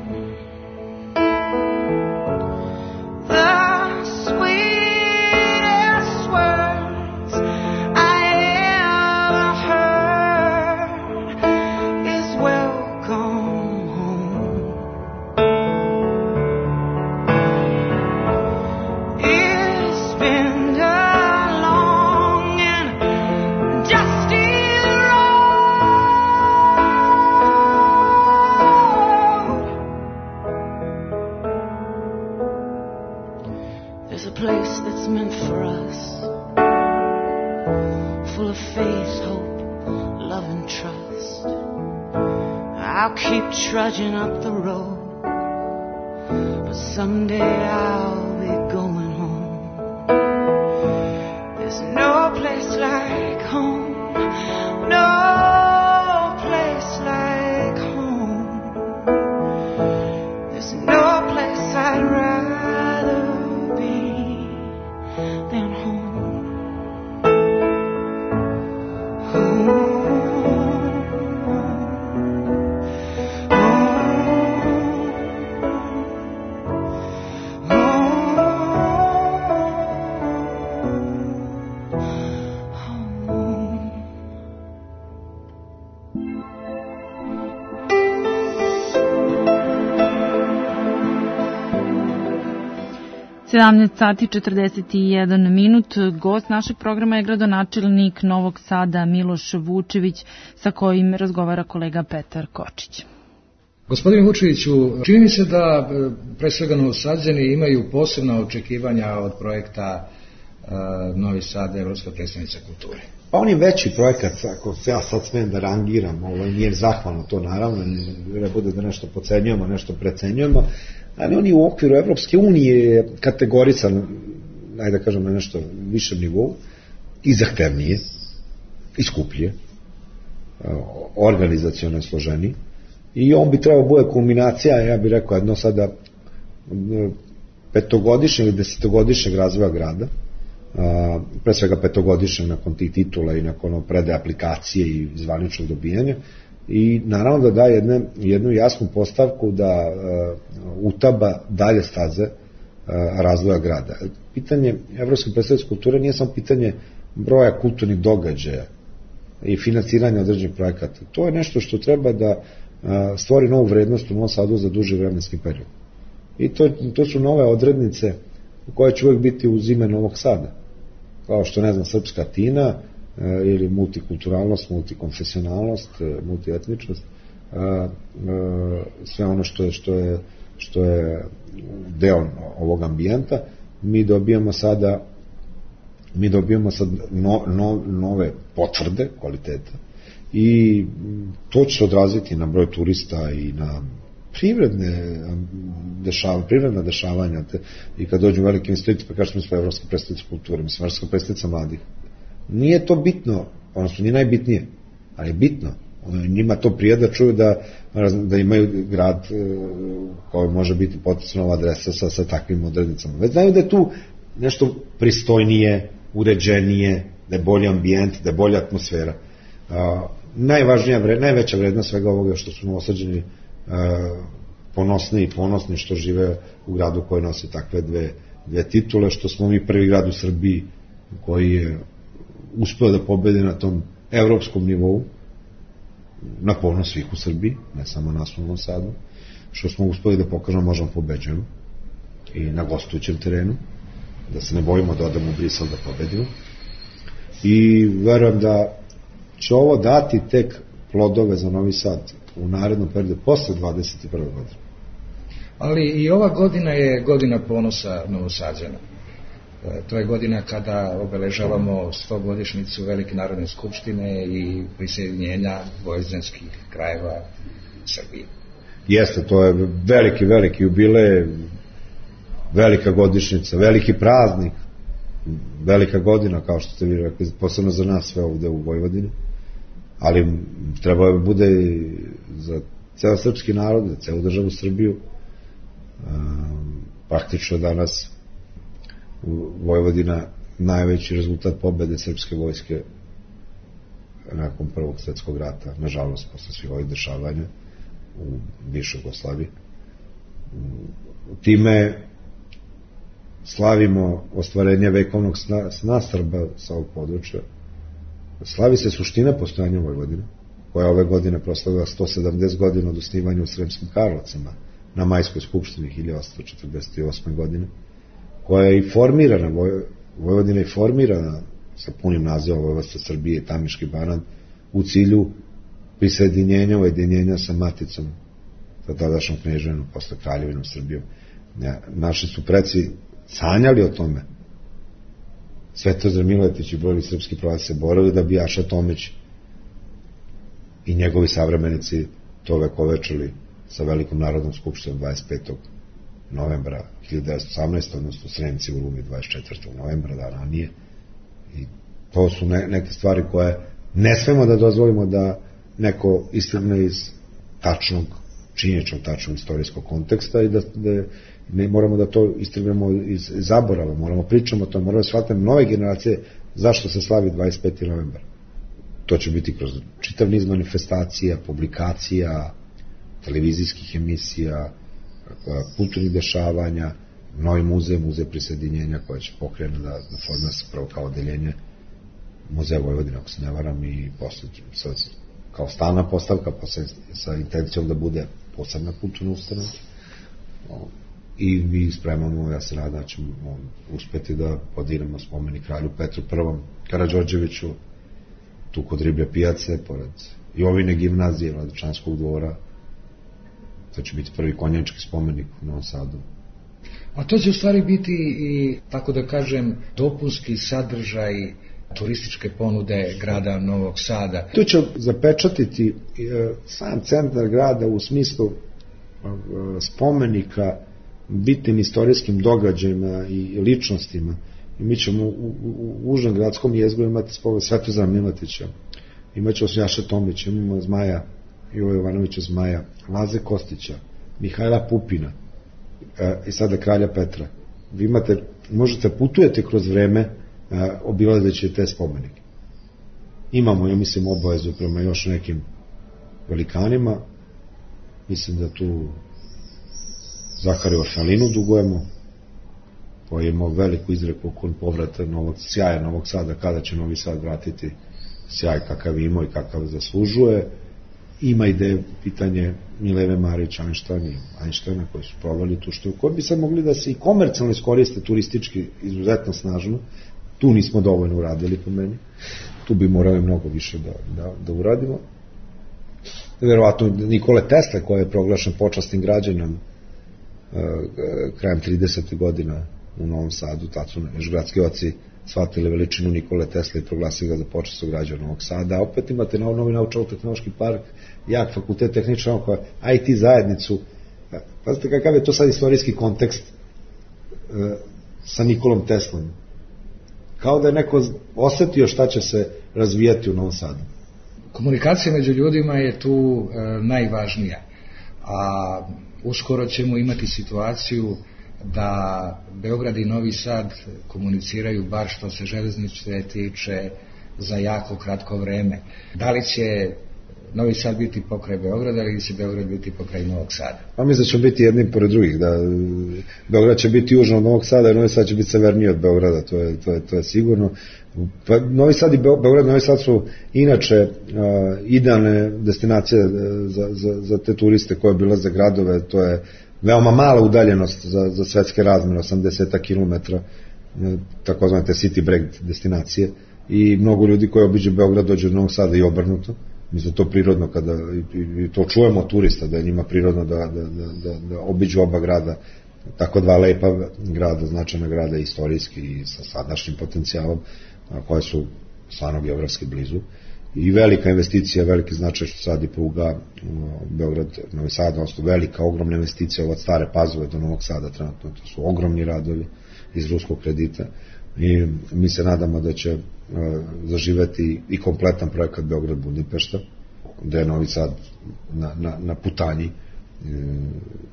The sweetest words I ever heard is welcome home. It's been a long and dusty road. There's a place that's meant for us, full of faith, hope, love and trust. I'll keep trudging up the road, but someday I'll be going home. There's no place like home, no place like home. There's no place I'd rather be than home. sati 41 minut. Gost našeg programa je gradonačelnik Novog Sada Miloš Vučević, sa kojim razgovara kolega Petar Kočić. Gospodine Vučeviću, čini mi se da pre svega Novosađani imaju posebna očekivanja od projekta Novi Sad, Evropska predstavnica kulture. Pa on je veći projekat, ako se ja sad smem da rangiram, nije zahvalno to naravno, ne bude da nešto pocenjujemo, nešto precenjujemo, ali on je u okviru Evropske unije kategorisan, ajde da kažem, na nešto višem nivou i zahtevnije, i skuplje, organizaciono je složeniji, i on bi trebao bude kulminacija, ja bih rekao, jedno sada petogodišnjeg ili desetogodišnjeg razvoja grada, pre svega petogodišnjeg nakon tih titula i nakon predaje aplikacije i zvaničnog dobijanja, i naravno da da jednu jasnu postavku da utaba dalje staze razvoja grada. Pitanje Evropske predstavnice kulture nije samo pitanje broja kulturnih događaja i financiranja određenih projekata. To je nešto što treba da stvori novu vrednost u Novom Sadu za duži vremenski period. I to su nove odrednice koje će uvek biti uz ime Novog Sada. Kao što, ne znam, srpska tina ili multikulturalnost, multikonfesionalnost, multietničnost, sve ono što je deo ovog ambijenta, mi dobijamo sad nove potvrde kvaliteta i to će se odraziti na broj turista i na privredna dešavanja i kad dođu velike institucije, pa kažemo smo Evropska predstavnica kulture, mislim Evropska predstavnica mladih. Nije to bitno, odnosno nije najbitnije, ali je bitno. Njima to prije da čuju da imaju grad koji može biti potencijalna adresa sa takvim odrednicama. Već znaju da je tu nešto pristojnije, uređenije, da je bolji ambijent, da je bolja atmosfera. Najveća vrednost svega ovoga što su Novosađani ponosni što žive u gradu koji nosi takve dve titule, što smo mi prvi grad u Srbiji koji je uspeo da pobedi na tom evropskom nivou, na ponos svih u Srbiji, ne samo nas u Novom Sadu, što smo uspeli da pokažemo možemo pobeđujemo i na gostujućem terenu, da se ne bojimo da odemo u Brisel da pobedimo. I verujem da će ovo dati tek plodove za Novi Sad u narednom periodu posle 21. godine. Ali i ova godina je godina ponosa Novosađana. To je godina kada obeležavamo 100-godišnjicu Velike narodne skupštine i prisjedinjenja dvojezičnih krajeva Srbije. Jeste, to je veliki jubilej, velika godišnjica, veliki praznik, velika godina, kao što ste vi rekli, posebno za nas sve ovde u Vojvodini. ali treba bude za ceo srpski narod, za celu državu Srbiju. Praktično danas Vojvodina najveći rezultat pobede srpske vojske nakon Prvog svjetskog rata, nažalost, posle svih ovih dešavanja u bivšoj Jugoslaviji. Time slavimo ostvarenje vekovnog sna Srba sa ovog područja. Slavi se suština postojanja Vojvodine, koja ove godine proslavila 170 godina od osnivanja u Sremskim Karlovcima na Majskoj skupštini 1848. godine, koja je i formirana, Vojvodina je formirana sa punim nazivom Vojvodstva Srbije i Tamiški Banat u cilju prisjedinjenja, ujedinjenja sa maticom, sa tadašnjom kneževinom, posle kraljevinom Srbijom. Naši su preci sanjali o tome. Svetozar Miletić i brojni srpski pravaci se borili da bi Aša Tomić i njegovi savremenici to vekovečili sa Velikom narodnom skupštinom 25. novembra 1918. odnosno Sremci u Rumi 24. novembra, da ranije. I to su neke stvari koje ne smemo da dozvolimo da neko istrgne iz tačnog, činjeničnog, tačnog istorijskog konteksta i da ne moramo da to istrgnemo iz zaborava, moramo pričamo o tom, moramo da shvatimo nove generacije zašto se slavi 25. novembar. To će biti kroz čitav niz manifestacija, publikacija, televizijskih emisija, kulturnih dešavanja, novi muzej prisjedinjenja koja će pokrenuti da formira se prvo kao odeljenje Muzeja Vojvodine, ako se ne varam, i posle kao stalna postavka, posle sa intencijom da bude posebna kulturna ustanova. I mi spremamo, ja se nadam da ćemo uspeti da podiramo spomenik kralju Petru I Karađorđeviću, tu kod Riblje pijace, pored Jovine gimnazije, Vladičanskog dvora. To će biti prvi konjački spomenik u Novom Sadu. A to će u stvari biti i, tako da kažem, dopunski sadržaj turističke ponude grada Novog Sada. To će zapečatiti sam centar grada u smislu spomenika bitnim istorijskim događajima i ličnostima. I mi ćemo u užnom gradskom jezgru imati spomenik Svetozara Miletića, imat ćemo Jaše Tomića, imamo Zmaja, Ivo Jovanovića Zmaja, Laze Kostića, Mihajla Pupina i sada kralja Petra. Vi možete putujete kroz vreme obilazeći te spomenike. Imamo, ja mislim, obavezu prema još nekim velikanima. Mislim da tu Zahariju Orfalinu dugujemo, koji je imao veliku izreku okon povrata sjaja Novog Sada, kada će Novi Sad vratiti sjaj kakav ima i kakav zaslužuje. Ima ideje pitanje Mileve Marić, Einsteina, koji su provali tu što, koji bi sad mogli da se i komercijalno iskoriste turistički izuzetno snažno. Tu nismo dovoljno uradili po meni. Tu bi morali mnogo više da uradimo. Verovatno Nikole Tesla, koji je proglašen počasnim građanom krajem 30. godina u Novom Sadu, tad su još gradski oci shvatili veličinu Nikole Tesla i proglasili ga za počasnog građana Novog Sada. A opet imate novi naučno-tehnološki park, jak fakultet tehnička nauka, IT zajednicu. Pazite kakav je to sad istorijski kontekst sa Nikolom Teslom. Kao da je neko osetio šta će se razvijati u Novom Sadu. Komunikacija među ljudima je tu najvažnija, a uskoro ćemo imati situaciju da Beograd i Novi Sad komuniciraju, bar što se železnice tiče, za jako kratko vreme. Da li će Novi Sad biti pokraj Beograda ili će Beograd biti pokraj Novog Sada? Pa mislim da će biti jednim pored drugih, da Beograd će biti južno od Novog Sada i Novi Sad će biti severniji od Beograda, to je sigurno. Pa Novi Sad i Beograd, Novi Sad su inače idealne destinacije za te turiste koje obilaze gradove, to je veoma mala udaljenost za svetske razmere, 80 km, takozvane te city break destinacije, i mnogo ljudi koji obiđe Beograd dođe do Novog Sada i obrnuto. Mislim da to prirodno, i to čujemo od turista, da je njima prirodno da obiđu oba grada, tako dva lepa grada, značajna grada istorijski i sa sadašnjim potencijalom, koje su stvarno geografski blizu. I velika investicija, veliki značaj što sad i pruga Beograd, Novi Sad, odnosno velika, ogromna investicija od Stare Pazove do Novog Sada trenutno, to su ogromni radovi iz ruskog kredita. i mi se nadamo da će zaživeti i kompletan projekat Beograd-Budimpešta, gde je Novi Sad na putanji.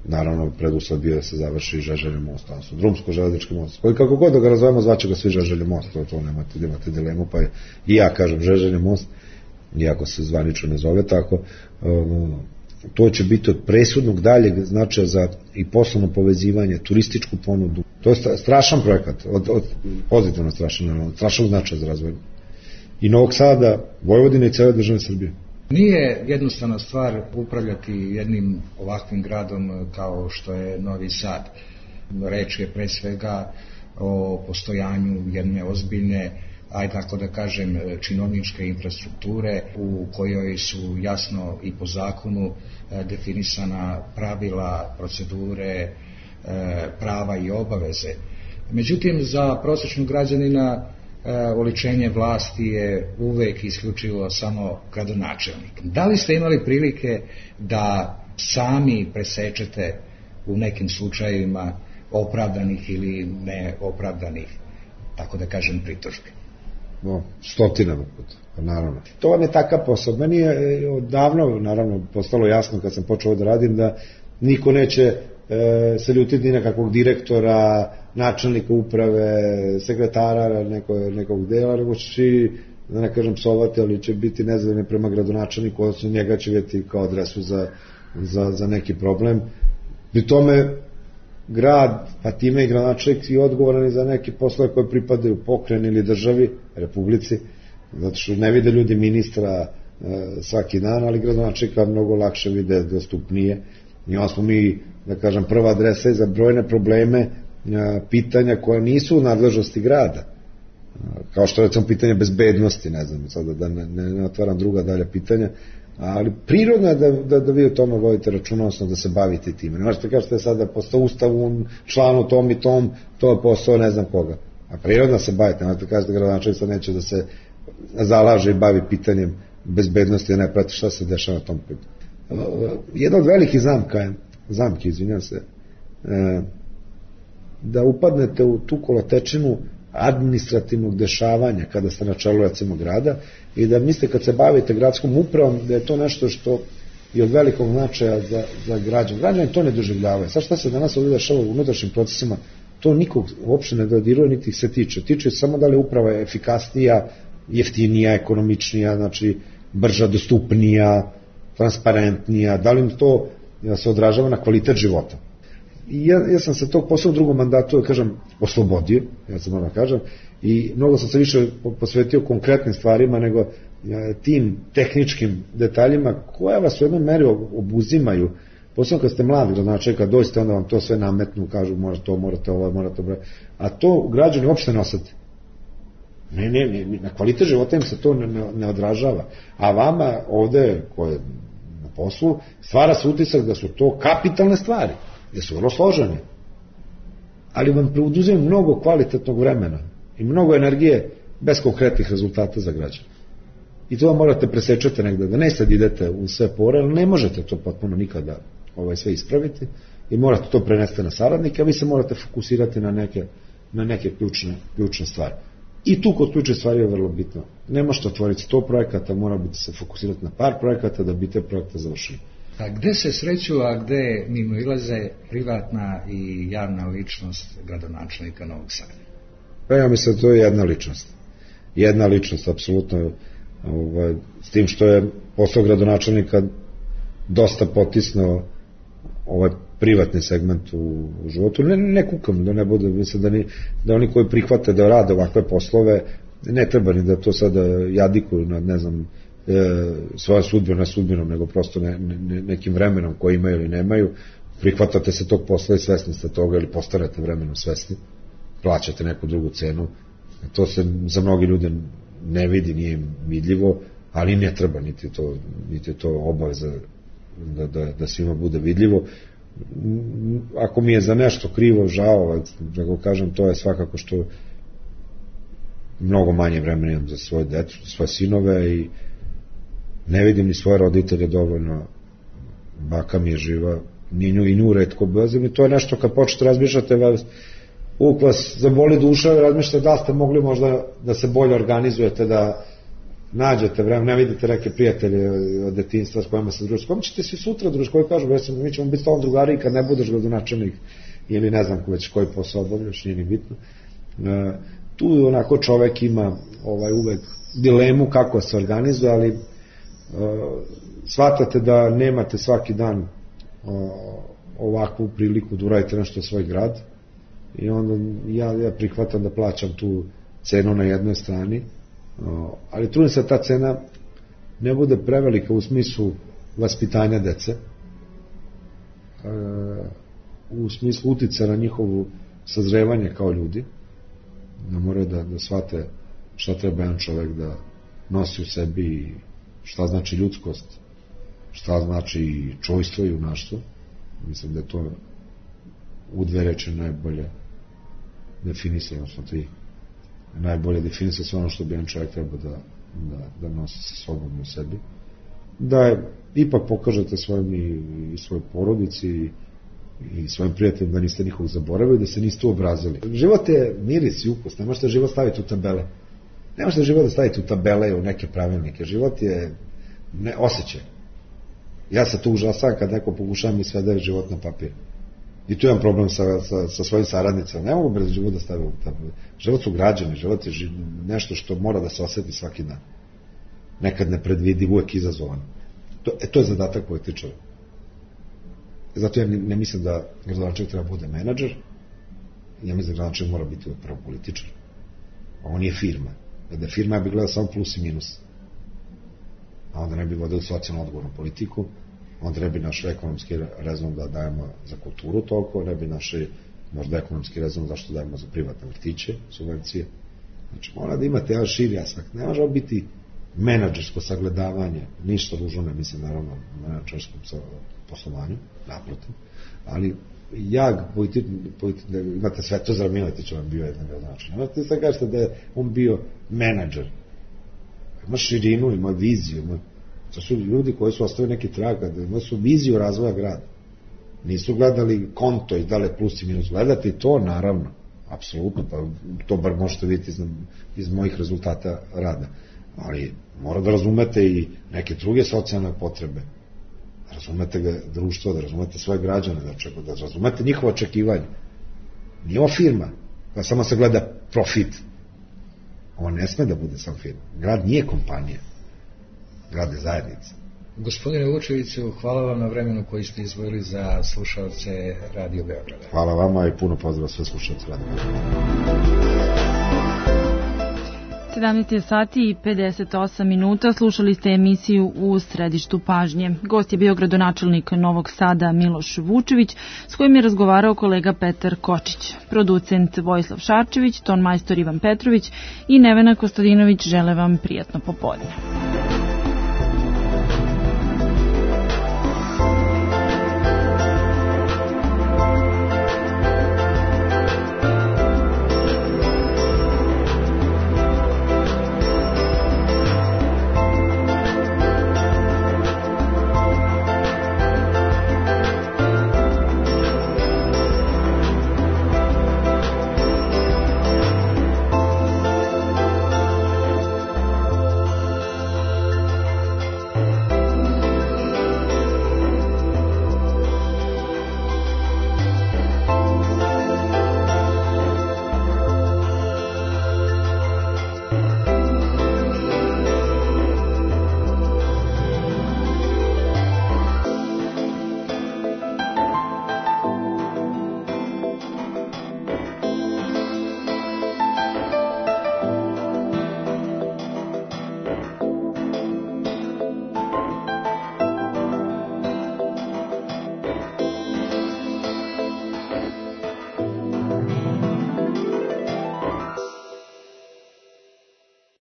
Naravno, preduslov bio da se završi Žeželjev most, odnosno drumsko-železnički most, koji kako god da ga razvojemo, zvaće ga svi Žeželjev most, to nemate dilemu, pa i ja kažem Žeželjev most, iako se zvanično ne zove tako. To će biti od presudnog daljeg značaja za i poslovno povezivanje, turističku ponudu. To je strašan projekat, pozitivno strašan, strašan značaj za razvoj i Novog Sada, Vojvodine i cele države Srbije. Nije jednostavna stvar upravljati jednim ovakvim gradom kao što je Novi Sad. Reč je pre svega o postojanju jedne ozbiljne, ajde tako da kažem, činovničke infrastrukture u kojoj su jasno i po zakonu definisana pravila, procedure, prava i obaveze. Međutim, za prosječnog građanina oličenje vlasti je uvek isključivo samo gradonačelnik. Da li ste imali prilike da sami presečete u nekim slučajevima opravdanih ili neopravdanih, tako da kažem, pritužbi? Stotinama puta, naravno. To vam je takav posao. Meni je odavno, naravno, postalo jasno kad sam počeo da radim da niko neće se ljutiti ni nekakvog direktora, načelnika uprave, sekretara nekog dela, nego će, da ne kažem psovati, ali će biti nezadovoljni prema gradonačelniku, odnosno njega će vidjeti kao adresu za neki problem. Pri tome grad, pa time i gradonačelnik je odgovoran za neke poslove koje pripadaju pokrajini ili državi, republici, zato što ne vide ljudi ministra svaki dan, ali gradonačelnika mnogo lakše vide, dostupnije. I onda smo mi, da kažem, prva adresa za brojne probleme, pitanja koja nisu u nadležnosti grada, kao što recimo pitanje bezbednosti, ne znam, sada da ne otvaram druga dalja pitanja, ali prirodno je da vi o tome vodite računa, odnosno da se bavite time. Ne možete kažete sada postao ustavu, članu tom i tom, to je posao ne znam koga. A prirodno se bavite, ne možete kažete gradonačelnik sad neće da se zalaže i bavi pitanjem bezbednosti, da ne prati šta se dešava na tom putu. Jedna od velikih zamki, izvinjam se, da upadnete u tu kolotečinu administrativnog dešavanja kada ste na čelu recimo grada i da mislite kad se bavite gradskom upravom da je to nešto što je od velikog značaja za građane. Građani to ne doživljavaju. Sad šta se danas ovdje dešava u unutrašnjim procesima, to nikog uopšte ne dodiruje, niti se tiče. Tiče samo da li uprava je efikasnija, jeftinija, ekonomičnija, znači brža, dostupnija, transparentnija, da li to se odražava na kvalitet života. I ja sam se tog posla u drugom mandatu, da kažem, oslobodio, ja sam moram da kažem, i mnogo sam se više posvetio konkretnim stvarima nego tim tehničkim detaljima koje vas u jednom meri obuzimaju. Posebno kad ste mladi gradonačelnik, kad dođete, onda vam to sve nametnu, kažu morate ovo, morate ovo, a to građani uopšte ne osete. Na kvalitet života im se to ne odražava. A vama ovde, koje je na poslu, stvara se utisak da su to kapitalne stvari, da su vrlo složene, ali vam preuduzimaju mnogo kvalitetnog vremena i mnogo energije bez konkretnih rezultata za građane. I to vam morate presečete negde, da ne sad idete u sve pore, ali ne možete to potpuno nikada sve ispraviti i morate to prenesti na saradnike, a vi se morate fokusirati na neke ključne stvari. I tu kod ključne stvari je vrlo bitno. Ne možete otvoriti 100 projekata, mora biti se fokusirati na par projekata da bi te projekte završili. A gde se sreću, a gde mimo ilaze privatna i javna ličnost gradonačelnika Novog Sada? Pa ja mislim da to je jedna ličnost. Jedna ličnost, apsolutno, s tim što je posao gradonačelnika dosta potisnuo ovaj privatni segment u životu. Ne kukam, da ne bude, mislim da oni koji prihvate da rade ovakve poslove, ne treba ni da to sada jadikuju nad, ne znam, svoja sudbina sudbinom, nego prosto nekim vremenom koji imaju ili nemaju, prihvatate se tog posla i svesni ste toga ili postarate vremenom svesni, plaćate neku drugu cenu. To se za mnogi ljude ne vidi, nije im vidljivo, ali ne treba, niti je to obaveza da svima bude vidljivo. Ako mi je za nešto krivo, žao, da go kažem, to je svakako što mnogo manje vremena imam za svoje decu, za svoje sinove i ne vidim ni svoje roditelje dovoljno, baka mi je živa, ni nju retko bezim i to je nešto kad počete razmišljate, uvijek vas zaboli duša i razmišljate da ste mogli možda da se bolje organizujete, da nađete vreme, ne vidite neke prijatelje od detinjstva s kojima se družite, s kojima ćete svi sutra družiti, koji kažu, mi ćemo biti s tom drugari kad ne budeš gradonačelnik ili ne znam već koji posao obavljaš, nije ni bitno. Tu onako čovek ima uvek dilemu kako se organizuje, ali shvatate da nemate svaki dan ovakvu priliku da uradite nešto u svoj grad i onda ja prihvatam da plaćam tu cenu na jednoj strani, ali trudim se da ta cena ne bude prevelika u smislu vaspitanja dece, u smislu uticaja na njihovu sazrevanje kao ljudi, da moraju da shvate šta treba jedan čovek da nosi u sebi i šta znači ljudskost, šta znači čojstvo i junaštvo. Mislim da je to u dve reči najbolje definisano, odnosno tri najbolje definisano sve ono što bi jedan čovjek treba da nosi sa sobom u sebi, da ipak pokažete svojim i svojoj porodici i svojim prijateljima da niste nikog zaboravili, da se niste obrazili. Život je miris i ukus, ne možete život staviti u tabele. Ne možete život da stavite u tabele i u neke pravilnike. Život je osjećaj. Ja se tu užasam kad neko pokušava mi sve da je život na papir. I tu imam problem sa svojim saradnicama. Ne mogu bez život da stavim u tabele. Život su građani, život je nešto što mora da se osjeti svaki dan. Nekad nepredvidiv, uvek izazovan. To je zadatak političara. Zato ja ne mislim da gradonačelnik treba bude menadžer, ja mislim da gradonačelnik mora biti prvo političar. Ovo nije firma. Da je firma, ja bih gledao samo plus i minus. A onda ne bi vodili socijalno odgovornu politiku, onda ne bi našli ekonomski rezon da dajemo za kulturu toliko, ne bi našli možda ekonomski rezon zašto dajemo za privatne vrtiće, subvencije. Znači, mora da imate jedan širi aspekt. Ne može biti menadžersko sagledavanje, ništa ružno ne mislim naravno menadžerskom poslovanju, naprotiv, ali imate Svetozar Miletić, on bio jedan gradonačelnik. Imate sad kažete da je on bio menadžer. Ima širinu, ima viziju. To su ljudi koji su ostavili neki trag, ima su viziju razvoja grada. Nisu gledali konto i dale plus i minus. Gledate i to, naravno, apsolutno, pa to bar možete vidjeti iz mojih rezultata rada. Ali mora da razumete i neke druge socijalne potrebe. Da razumete društvo, da razumete svoje građane, da razumete njihova očekivanja. Nije ovo firma, pa samo se gleda profit. Ovo ne sme da bude sam firma. Grad nije kompanija. Grad je zajednica. Gospodine Vučeviću, hvala vam na vremenu koji ste izdvojili za slušalce Radio Beograda. Hvala vama i puno pozdrava sve slušalce Radio Beograda. 17 sati i 58 minuta, slušali ste emisiju U središtu pažnje. Gost je bio gradonačelnik Novog Sada Miloš Vučević, s kojim je razgovarao kolega Petar Kočić. Producent Vojislav Šarčević, ton majstor Ivan Petrović i Nevena Kostadinović žele vam prijatno popodne.